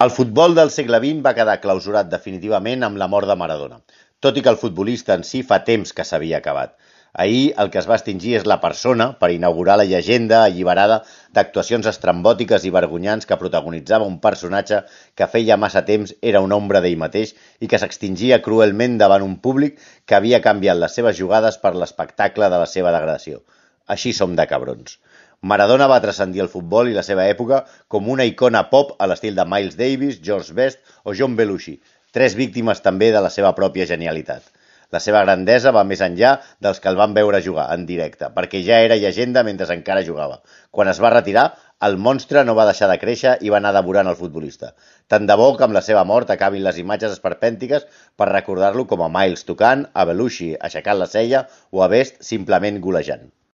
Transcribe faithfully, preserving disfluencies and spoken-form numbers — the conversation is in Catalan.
El futbol del segle vint va quedar clausurat definitivament amb la mort de Maradona, tot i que el futbolista en si fa temps que s'havia acabat. Ahir el que es va extingir és la persona per inaugurar la llegenda alliberada d'actuacions estrambòtiques i vergonyants que protagonitzava un personatge que feia massa temps era una ombra d'ell mateix i que s'extingia cruelment davant un públic que havia canviat les seves jugades per l'espectacle de la seva degradació. Així som de cabrons. Maradona va transcendir el futbol i la seva època com una icona pop a l'estil de Miles Davis, George Best o John Belushi, tres víctimes també de la seva pròpia genialitat. La seva grandesa va més enllà dels que el van veure jugar en directe, perquè ja era llegenda mentre encara jugava. Quan es va retirar, el monstre no va deixar de créixer i va anar devorant el futbolista. Tant de bo que amb la seva mort acabin les imatges esperpèntiques per recordar-lo com a Miles tocant, a Belushi aixecant la cella o a Best simplement golejant.